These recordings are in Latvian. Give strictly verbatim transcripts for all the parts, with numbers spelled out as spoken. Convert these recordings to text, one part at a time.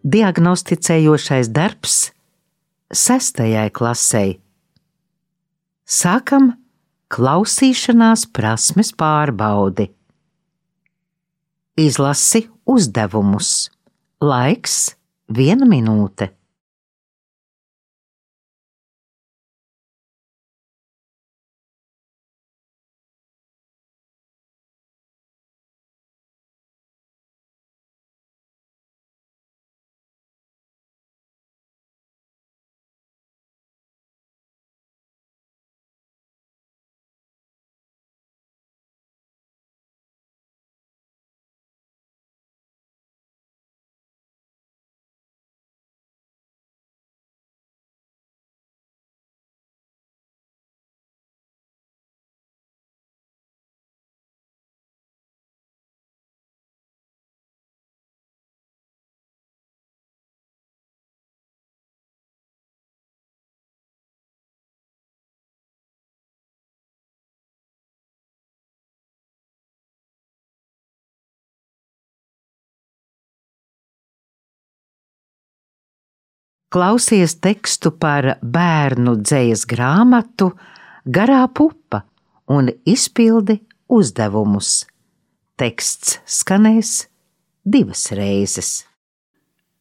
diagnosticējošais darbs sestajai klasei. Sākam klausīšanās prasmes pārbaudi. Izlasi uzdevumus. Laiks viena minūte. Klausies tekstu par bērnu dzejas grāmatu Garā pupa un izpildi uzdevumus. Teksts skanēs divas reizes.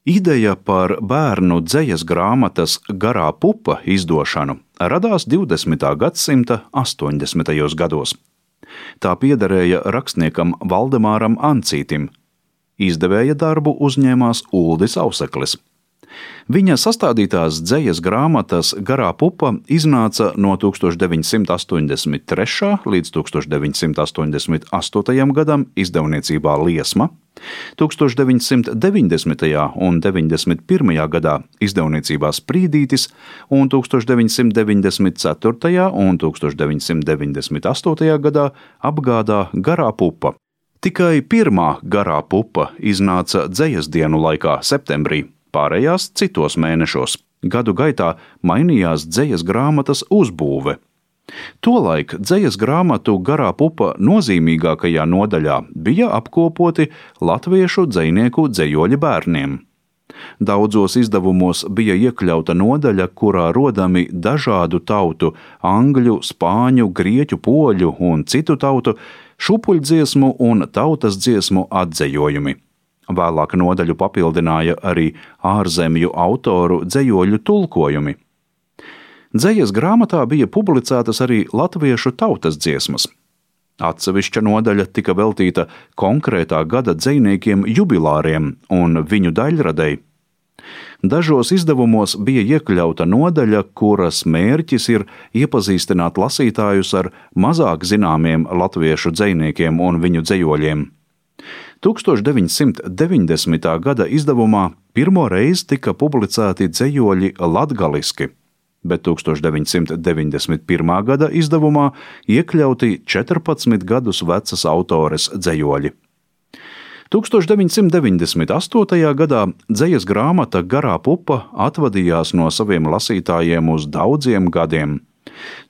Ideja par bērnu dzejas grāmatas Garā pupa izdošanu radās divdesmitā gadsimta astoņdesmitajos gados. Tā piederēja rakstniekam Valdemāram Ancītim. Izdevēja darbu uzņēmās Uldis Auseklis. Viņa sastādītās dzejas grāmatas Garā pupa iznāca no tūkstoš deviņsimt astoņdesmit trešā līdz tūkstoš deviņsimt astoņdesmit astotajam gadam izdevniecībā Liesma, tūkstoš deviņsimt deviņdesmitajā un deviņdesmit pirmajā gadā izdevniecībā Sprīdītis un tūkstoš deviņsimt deviņdesmit ceturtajā un tūkstoš deviņsimt deviņdesmit astotajā gadā apgādā Garā pupa. Tikai pirmā Garā pupa iznāca dzejas dienu laikā septembrī. Pārējās citos mēnešos. Gadu gaitā mainījās dzejas grāmatas uzbūve. Tolaik dzejas grāmatu Garā pupa nozīmīgākajā nodaļā bija apkopoti latviešu dzejnieku dzejoļi bērniem. Daudzos izdevumos bija iekļauta nodaļa, kurā rodami dažādu tautu, angļu, spāņu, grieķu, poļu un citu tautu šupuļdziesmu un tautas dziesmu atzejojumi. Vēlāk nodaļu papildināja arī ārzemju autoru dzejoļu tulkojumi. Dzejas grāmatā bija publicētas arī latviešu tautas dziesmas. Atsevišķa nodaļa tika veltīta konkrētā gada dzejniekiem jubilāriem un viņu daļradei. Dažos izdevumos bija iekļauta nodaļa, kuras mērķis ir iepazīstināt lasītājus ar mazāk zināmiem latviešu dzejniekiem un viņu dzejoļiem. tūkstoš deviņsimt deviņdesmitā gada izdevumā pirmo reizi tika publicēti dzejoļi latgaliski, bet tūkstoš deviņsimt deviņdesmit pirmā gada izdevumā iekļauti četrpadsmit gadus vecas autores dzejoļi. tūkstoš deviņsimt deviņdesmit astotajā gadā dzejas grāmata Garā pupa atvadījās no saviem lasītājiem uz daudziem gadiem.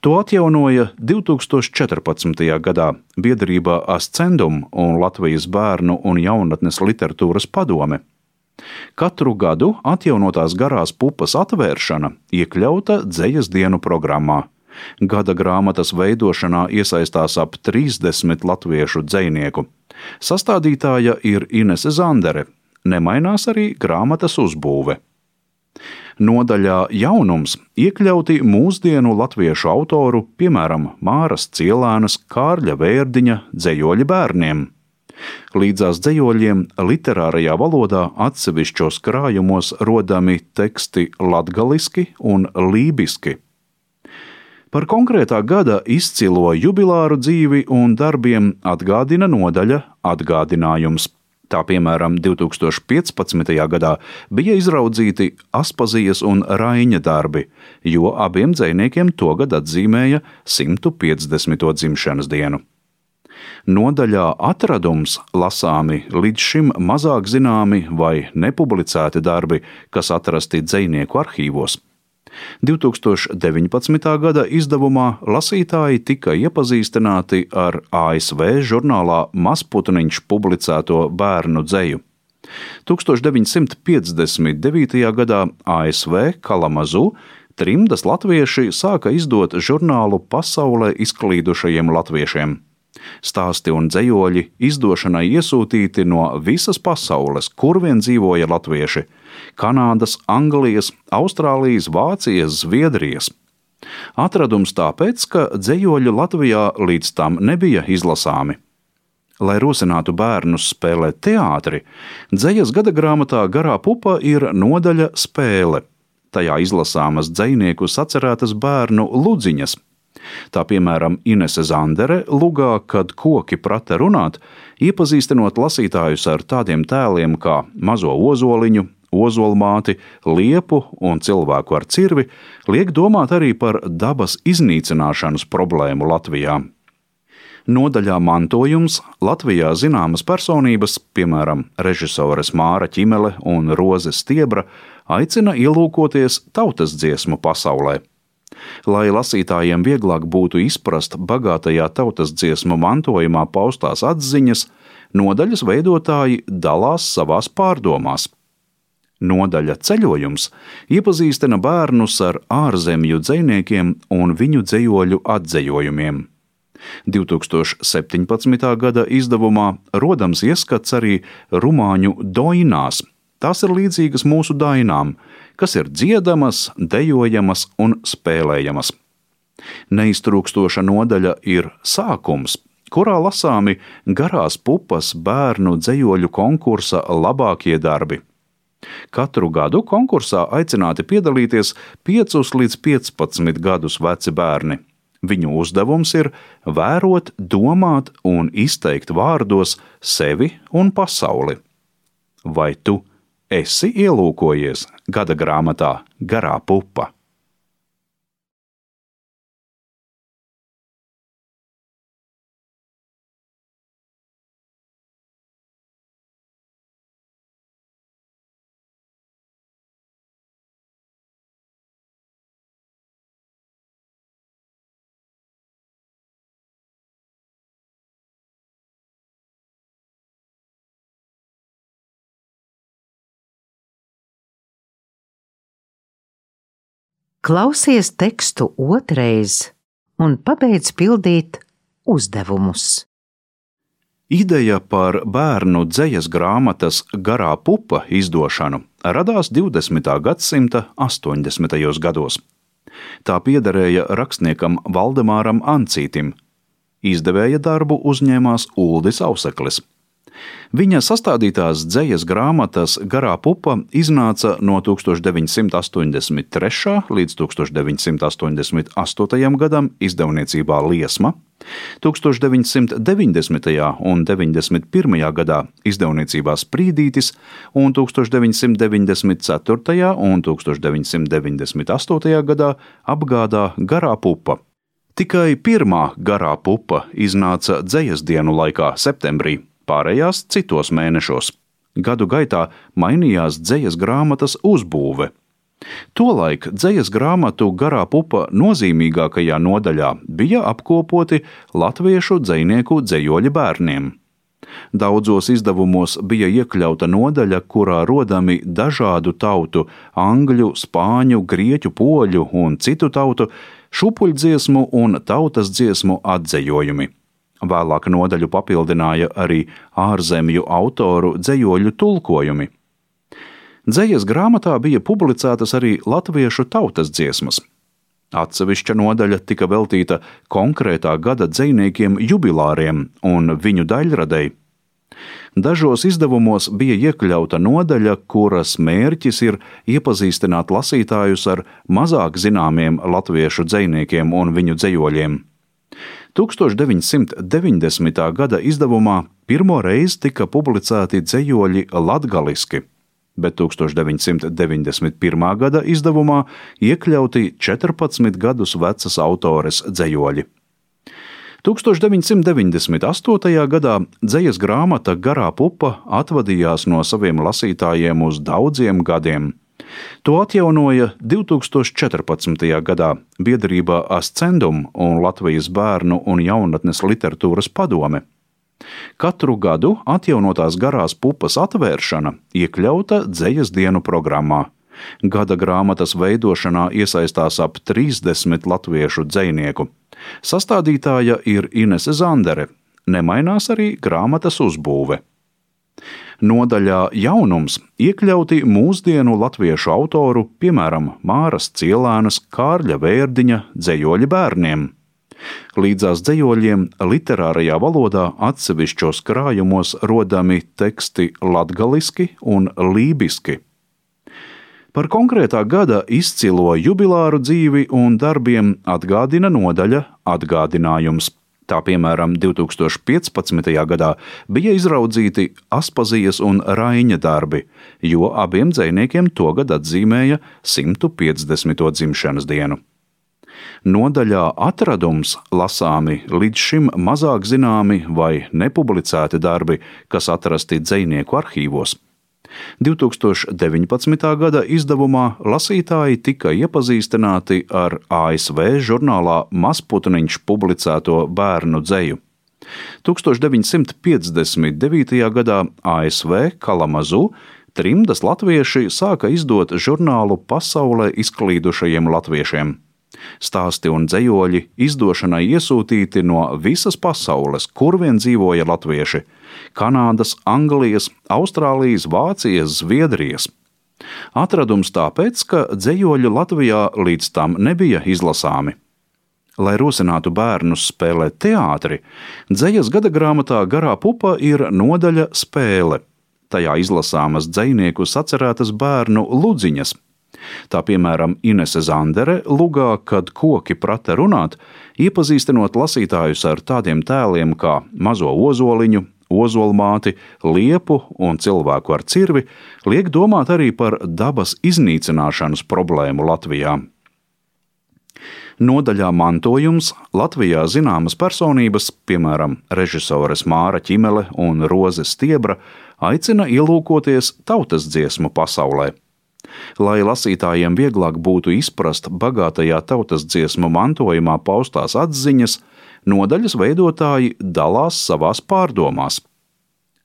To atjaunoja divtūkstoš četrpadsmitajā gadā biedrībā Ascendum un Latvijas bērnu un jaunatnes literatūras padome. Katru gadu atjaunotās Garās pupas atvēršana iekļauta dzejas dienu programmā. Gada grāmatas veidošanā iesaistās ap trīsdesmit latviešu dzejnieku. Sastādītāja ir Inese Zandere. Nemainās arī grāmatas uzbūve. Nodaļā jaunums iekļauti mūsdienu latviešu autoru, piemēram, Māras Cielēnas, Kārļa Vērdiņa dzejoļi bērniem. Līdzās dzejoļiem literārajā valodā atsevišķos krājumos rodami teksti latgaliski un lībiski. Par konkrētā gada izcilo jubilāru dzīvi un darbiem atgādina nodaļa Atgādinājums. Tā piemēram divtūkstoš piecpadsmitajā gadā bija izraudzīti Aspazijas un Raiņa darbi, jo abiem dzejniekiem togad atzīmēja simt piecdesmito dzimšanas dienu. Nodaļā Atradums lasāmi līdz šim mazāk zināmi vai nepublicēti darbi, kas atrasti dzejnieku arhīvos. divtūkstoš deviņpadsmitā gada izdevumā lasītāji tika iepazīstināti ar A S V žurnālā Mazputniņš publicēto bērnu dzeju. tūkstoš deviņsimt piecdesmit devītajā gadā A S V Kalamazu trimdas latvieši sāka izdot žurnālu pasaulē izklīdušajiem latviešiem. Stāsti un dzejoļi izdošanai iesūtīti no visas pasaules, kur vien dzīvoja latvieši – Kanādas, Anglijas, Austrālijas, Vācijas, Zviedrijas. Atradums tāpēc, ka dzejoļi Latvijā līdz tam nebija izlasāmi. Lai rosinātu bērnus spēlēt teātri, dzejas gadagrāmatā Garā pupa ir nodaļa spēle. Tajā izlasāmas dzejnieku sacerētas bērnu ludziņas. Tā piemēram Inese Zandere lugā, kad koki prata runāt, iepazīstinot lasītājus ar tādiem tēliem kā mazo ozoliņu, ozolmāti, liepu un cilvēku ar cirvi, liek domāt arī par dabas iznīcināšanas problēmu Latvijā. Nodaļā mantojums Latvijā zināmas personības, piemēram, režisores Māra Ķimele un Roze Stiebra, aicina ielūkoties tautas dziesmu pasaulē. Lai lasītājiem vieglāk būtu izprast bagātajā tautas dziesmu mantojumā paustās atziņas, nodaļas veidotāji dalās savās pārdomās. Nodaļa ceļojums iepazīstina bērnus ar ārzemju dzejniekiem un viņu dzejoļu atzejojumiem. divi tūkstoši septiņpadsmitā gada izdevumā rodams ieskats arī rumāņu doinās. Tās ir līdzīgas mūsu dainām, kas ir dziedamas, dejojamas un spēlējamas. Neiztrūkstoša nodaļa ir sākums, kurā lasāmi Garās pupas bērnu dzejoļu konkursa labākie darbi. Katru gadu konkursā aicināti piedalīties piecus līdz piecpadsmit gadus veci bērni. Viņu uzdevums ir vērot, domāt un izteikt vārdos sevi un pasauli. Vai tu esi ielūkojies gada grāmatā Garā pupa? Klausies tekstu otrais un pabeidz pildīt uzdevumus. Ideja par bērnu dzejas grāmatas Garā pupa izdošanu radās divdesmitā gadsimta astoņdesmitajos gados. Tā piederēja rakstniekam Valdemāram Ancītim. Izdevēja darbu uzņēmās Uldis Auseklis. Viņa sastādītās dzejas grāmatas Garā pupa iznāca no tūkstoš deviņsimt astoņdesmit trešā līdz tūkstoš deviņsimt astoņdesmit astotajam gadam izdevniecībā Liesma, tūkstoš deviņsimt deviņdesmitajā un deviņdesmit pirmajā gadā izdevniecībā Sprīdītis un tūkstoš deviņsimt deviņdesmit ceturtajā un tūkstoš deviņsimt deviņdesmit astotajā gadā apgādā Garā pupa. Tikai pirmā Garā pupa iznāca dzejas dienu laikā septembrī, pārējās citos mēnešos. Gadu gaitā mainījās dzejas grāmatas uzbūve. Tolaik dzejas grāmatu Garā pupa nozīmīgākajā nodaļā bija apkopoti latviešu dzejnieku dzejoļi bērniem. Daudzos izdevumos bija iekļauta nodaļa, kurā rodami dažādu tautu – angļu, spāņu, grieķu, poļu un citu tautu – šupuļdziesmu un tautas dziesmu atzejojumi. Vēlāk nodaļu papildināja arī ārzemju autoru dzejoļu tulkojumi. Dzejas grāmatā bija publicētas arī latviešu tautas dziesmas. Atsevišķa nodaļa tika veltīta konkrētā gada dzejniekiem jubilāriem un viņu daļradei. Dažos izdevumos bija iekļauta nodaļa, kuras mērķis ir iepazīstināt lasītājus ar mazāk zināmiem latviešu dzejniekiem un viņu dzejoļiem. tūkstoš deviņsimt deviņdesmitā gada izdevumā pirmo reizi tika publicēti dzejoļi latgaliski, bet tūkstoš deviņsimt deviņdesmit pirmā gada izdevumā iekļauti četrpadsmit gadus vecas autores dzejoļi. tūkstoš deviņsimt deviņdesmit astotajā gadā dzejas grāmata Garā pupa atvadījās no saviem lasītājiem uz daudziem gadiem. To atjaunoja divi tūkstoši četrpadsmitajā gadā biedrībā Ascendum un Latvijas bērnu un jaunatnes literatūras padome. Katru gadu atjaunotās garās pupas atvēršana iekļauta dzejas dienu programmā. Gada grāmatas veidošanā iesaistās ap trīsdesmit latviešu dzejnieku. Sastādītāja ir Inese Zandere. Nemainās arī grāmatas uzbūve. Nodaļā jaunums iekļauti mūsdienu latviešu autoru, piemēram, Māras Cielēnas, Kārļa Vērdiņa dzejoļi bērniem. Līdzās dzejoļiem literārajā valodā atsevišķos krājumos rodami teksti latgaliski un lībiski. Par konkrētā gada izcilo jubilāru dzīvi un darbiem atgādina nodaļa Atgādinājums. Tā piemēram, divi tūkstoši piecpadsmitajā gadā bija izraudzīti Aspazijas un Raiņa darbi, jo abiem dzejniekiem togad atzīmēja simtu piecdesmito dzimšanas dienu. Nodaļā Atradums lasāmi līdz šim mazāk zināmi vai nepublicēti darbi, kas atrasti dzejnieku arhīvos. divi tūkstoši deviņpadsmitā gada izdevumā lasītāji tika iepazīstināti ar A S V žurnālā Mazputniņš publicēto bērnu dzeju. tūkstoš deviņsimt piecdesmit devītajā gadā A S V Kalamazoo trimdas latvieši sāka izdot žurnālu pasaulē izklīdušajiem latviešiem. Stāsti un dzejoļi izdošanai iesūtīti no visas pasaules, kur vien dzīvoja latvieši – Kanādas, Anglijas, Austrālijas, Vācijas, Zviedrijas. Atradums tāpēc, ka dzejoļi Latvijā līdz tam nebija izlasāmi. Lai rosinātu bērnus spēlēt teātri, dzejas gada grāmatā Garā pupa ir nodaļa Spēle. Tajā izlasāmas dzejnieku sacerētas bērnu ludziņas. Tā piemēram Inese Zandere lugā, kad koki prata runāt, iepazīstinot lasītājus ar tādiem tēliem kā mazo ozoliņu, ozolmāti, liepu un cilvēku ar cirvi, liek domāt arī par dabas iznīcināšanas problēmu Latvijā. Nodaļā Mantojums Latvijā zināmas personības, piemēram, režisores Māra Ķimele un Roze Stiebra, aicina ielūkoties tautas dziesmu pasaulē. Lai lasītājiem vieglāk būtu izprast bagātajā tautas dziesmu mantojumā paustās atziņas, nodaļas veidotāji dalās savās pārdomās.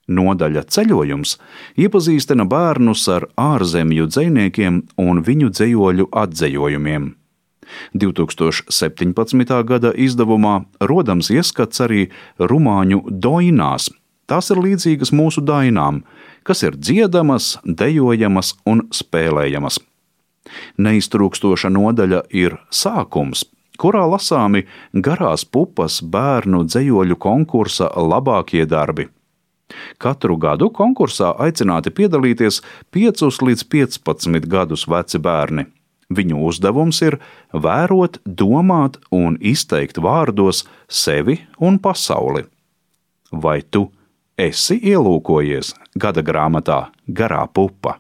Nodaļa Ceļojums iepazīstina bērnus ar ārzemju dzejniekiem un viņu dzejoļu atzejojumiem. divi tūkstoši septiņpadsmitā gada izdevumā rodams ieskats arī rumāņu doinās. Tās ir līdzīgas mūsu dainām, kas ir dziedamas, dejojamas un spēlējamas. Neiztrūkstoša nodaļa ir Sākums, kurā lasāmi Garās pupas bērnu dzejoļu konkursa labākie darbi. Katru gadu konkursā aicināti piedalīties piecus līdz piecpadsmit gadus veci bērni. Viņu uzdevums ir vērot, domāt un izteikt vārdos sevi un pasauli. Vai tu esi ielūkojies gada grāmatā Garā pupa?